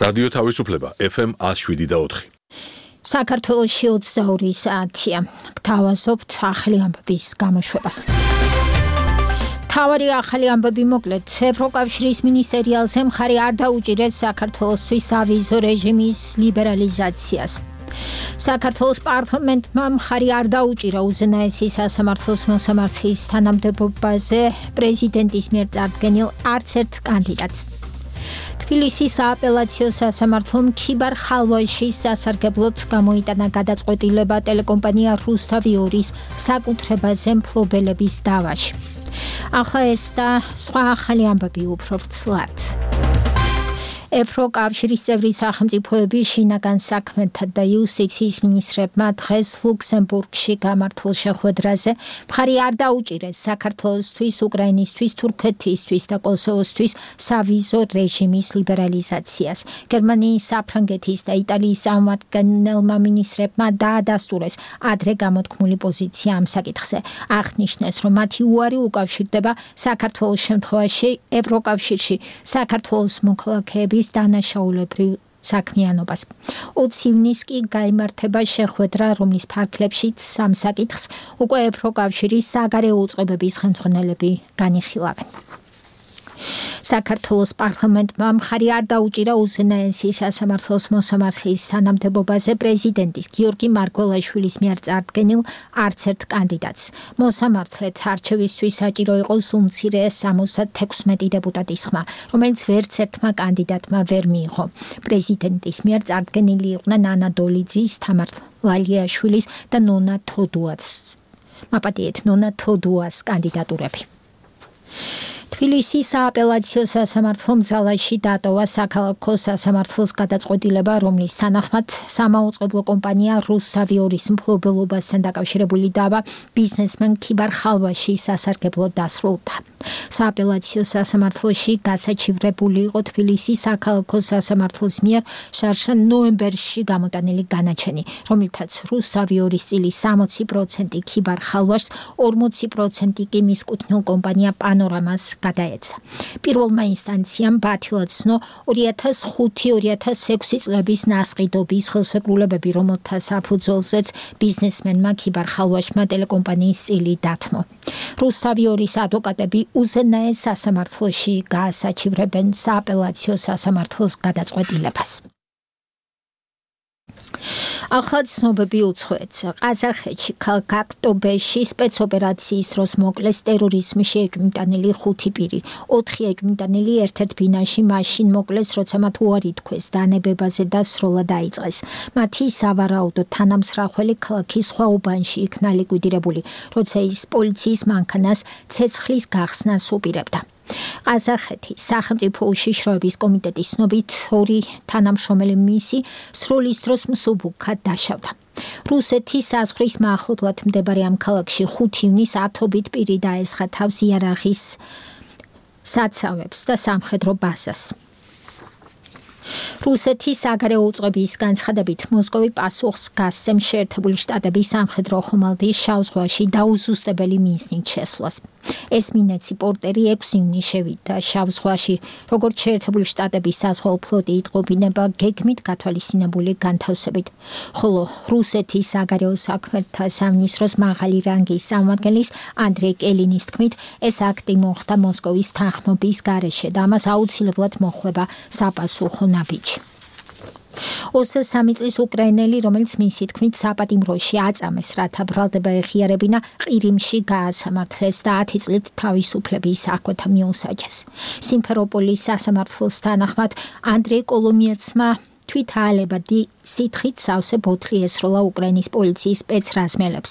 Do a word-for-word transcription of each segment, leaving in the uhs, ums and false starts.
რადიო თავისუფლება ეფ ემ one oh seven და four. საქართველოში ოცდაორი საათია. გთავაზობთ ახალი ამბების გამოშვებას. თავარი ახალი ამბები მოკლედ. ევროკავშირის მინისტერიალზე მხარი არ დაუჭირეს საქართველოსთვის სავიზო რეჟიმის ლიბერალიზაციას. საქართველოს პარლამენტმა მხარი არ დაუჭირა უზენაესი სასამართლოს მოსამართლის თანამდებობაზე პრეზიდენტის მიერ წარდგენილ არც ერთ კანდიდატს. თბილისის სააპელაციო სასამართლომ ქიბარ ხალვაშის სასარგებლოდ გამოიტანა გადაწყვეტილება ტელეკომპანია რუსთავი-ორის საკუთრებაზე მფლობელების დავაში. ახლა ეს და სხვა ახალი ამბები უფრო ვრცლად. ევროკავშირის წევრი სახელმწიფოების შინაგან საქმეთა და იუსტიციის მინისტრებმა დღეს ლუქსემბურგში გამართულ შეხვედრაზე მხარი არ დაუჭირეს საქართველოსთვის, უკრაინისთვის, თურქეთისთვის და კოსოვოსთვის სავიზო რეჟიმის ლიბერალიზაციას. გერმანიის, საფრანგეთის და იტალიის წარმომადგენელმა მინისტრებმა დაადასტურეს ადრე გამოთქმული პოზიცია ამ საკითხზე. აღნიშნეს, რომ მათი უარი უკავშირდება საქართველოს შემთხვევაში ევროკავშირში საქართველოს მოქალაქეების დანაშაულებრივ საქმიანობას. ოცი ივნისს კი გაიმართება შეხვედრა, რომლის ფარგლებშიც ამ საკითხს უკვე ევროკავშირის საგარეო უწყებების ხელმძღვანელები განიხილავენ. საქართველოს პარლამენტმა მხარი არ დაუჭირა უზენაესი სასამართლოს მოსამართლის თანამდებობაზე პრეზიდენტის გიორგი მარგველაშვილის მიერ წარდგენილ არც ერთ კანდიდატს. მოსამართლედ არჩევისთვის საჭირო იყოს უმცირე სამოცდათექვსმეტი დეპუტატის ხმა, რომელიც ვერც ერთმა კანდიდატმა ვერ მიიღო. პრეზიდენტის მიერ წარდგენილი იყვნენ ანა დოლიძის, თამარ ვალიაშვილის და ნონა თოდუას. მაპატიეთ ნონა თოდუას კანდიდატურები. თბილისის სააპელაციო სასამართლომ ძალაში დატოვა საქალაქო სასამართლოს გადაწყვეტილება, რომლის თანახმად სამაუწყებლო კომპანია რუსთავი-ორის მფლობელობასთან დაკავშირებული დავა ბიზნესმენ ქიბარ ხალვაშის სასარგებლოდ დასრულდა. სააპელაციო სასამართლოში გასაჩივრებული იყო თბილისის საქალაქო სასამართლოს მიერ შარშან ნოემბერში გამოტანილი განაჩენი, რომლითაც რუსთავი-ორის წილი სამოცი პროცენტი ქიბარ ხალვაშს, ორმოცი პროცენტი კი მის კუთვნილ კომპანია პანორამას გადაეცა. პირველმა ინსტანციამ ბათილად ცნო ორი ათას ხუთი ორი ათას ექვსი წლების ნასყიდობის ხელშეკრულებები, რომელთა საფუძველზეც ბიზნესმენმა ქიბარ ხალვაშმა ტელეკომპანიის წილი დათმო. რუსთავი-ორის ადვოკატები უზენაეს სასამართლოში გაასაჩივრებენ სააპელაციო სასამართლოს გადაწყვეტილებას. ახლა ცნობები უცხოეთზე. ყაზახეთში ქალაქ აქტობეში სპეცოპერაციის დროს მოკლეს ტერორიზმში ეჭვმიტანილი ხუთი პირი. ოთხი ეჭვმიტანილი ერთ-ერთ ბინაში მაშინ მოკლეს, როცა მათ უარი თქვეს დანებებაზე და სროლა დაიწყეს. მათი სავარაუდო თანამსხმელი ქალაქის სხვა უბანში იქნა ლიკვიდირებული, როცა ის პოლიციის მანქანას ცეცხლის გახსნას უპირებდა. ყაზახეთის სახელმწიფო უშიშროების კომიტეტის ცნობით ორი თანამშრომელი მისი სროლის დროს მსუბუქად დაშავდა. რუსეთის საზღვრის მახლობლად მდებარე ამ ქალაქში ხუთი ივნისს ათობით პირი დაესხა თავს იარაღის საცავებს და სამხედრო ბაზას. რუსეთის საგარეო უწყების განცხადებით მოსკოვი პასუხს გასცემ შეერთებული შტატების სამხედრო ხომალდის შავ ზღვაში დაუზუსტებელი მიზნით შესვლას. ესმინეცი პორტერი ექვსი ივნისს შევიდა შავ ზღვაში, როგორც შეერთებული შტატების საზღვაო ფლოტი იტყობინება გეგმით გათვალისწინებული განთავსებით. ხოლო რუსეთის საგარეო საქმეთა სამინისტროს მაღალი რანგის წარმომადგენლის ანდრეი კელინის თქმით, ეს აქტი მოხდა მოსკოვის თანხმობის გარეშე და ამას აუცილებლად მოჰყვება საპასუხო ნაბიჯი. ოცდაორი წლის უკრაინელი, რომელიც მისი თქმით საპატიმროში აწამეს, რათა ბრალდება ეხიარებინა, ყირიმში გაასამართლეს და ათი წლით თავისუფლების აღკვეთა მიუსაჯეს. სიმფეროპოლის სასამართლოს თანახმად ანდრეი კოლომიეცმა თვითაალებადი სითხით სავსე ბოთლი ესროლა უკრაინის პოლიციის სპეცრაზმელებს.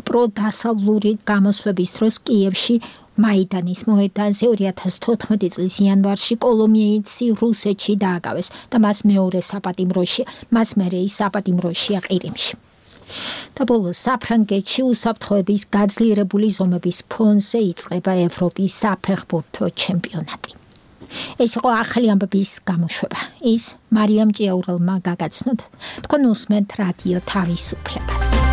პროდასავლური გამოსვების დროს კიევში მაიდანის მოედანზე ორი ათას თოთხმეტი წლის იანვარში კოლომიეიცი რუსეთში დააკავეს და მას მეორე საპატიმროში, მას მერე ის საპატიმროშია ყირიმში. და ბოლოს საფრანგეთში უსაფრთხოების გაძლიერებული ზომების ფონზე იწყება ევროპის საფეხბურთო ჩემპიონატი. ეს იყო ახალი ამბების გამოშვება. ის მარიამ ჭიაურელმა გაგაცნოთ. თქვენ უსმენთ რადიო თავისუფლებას.